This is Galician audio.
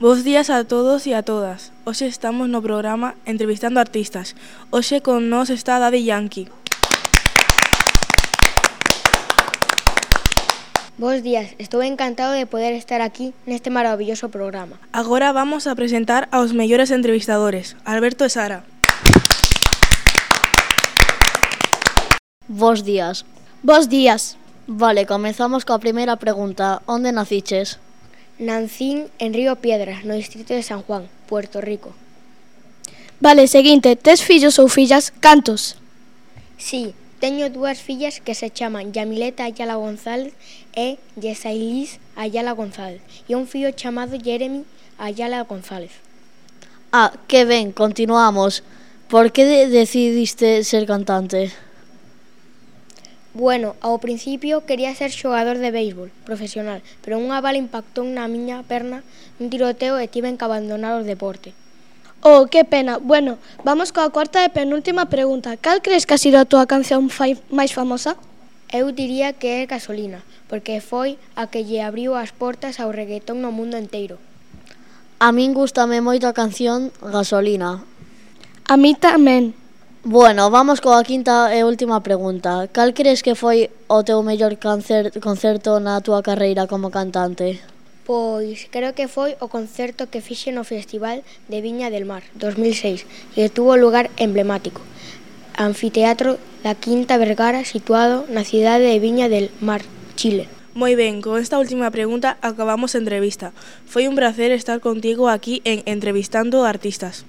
Bos días a todos e a todas. Hoxe estamos no programa entrevistando artistas. Hoxe con nós está Daddy Yankee. Bos días, estou encantado de poder estar aquí neste maravilloso programa. Agora vamos a presentar aos mellores entrevistadores, Alberto e Sara. Bos días. Bos días. Vale, comezamos coa primeira pregunta. Onde naciches? Nancín en Río Piedras, no distrito de San Juan, Puerto Rico. Vale, seguinte, tes fillos ou fillas? Cantos? Sí, teño dúas fillas que se chaman Yamileta Ayala González e Yesailis Ayala González e un fillo chamado Jeremy Ayala González. Ah, que ben, continuamos. Por que decidiste ser cantante? Bueno, ao principio quería ser xogador de béisbol profesional, pero unha bala impactou na miña perna nun tiroteo e tiven que abandonar o deporte. Oh, que pena. Bueno, vamos coa cuarta e penúltima pregunta. Cal crees que ha sido a túa canción máis famosa? Eu diría que é Gasolina, porque foi a que lle abriu as portas ao reggaetón no mundo enteiro. A min gústame moito a canción Gasolina. A mí tamén. Bueno, vamos coa quinta e última pregunta. Cal crees que foi o teu mellor concerto na túa carreira como cantante? Pois creo que foi o concerto que fixe no Festival de Viña del Mar 2006 e tuvo lugar emblemático. Anfiteatro da Quinta Vergara situado na cidade de Viña del Mar, Chile. Moi ben, con esta última pregunta acabamos a entrevista. Foi un placer estar contigo aquí en Entrevistando Artistas.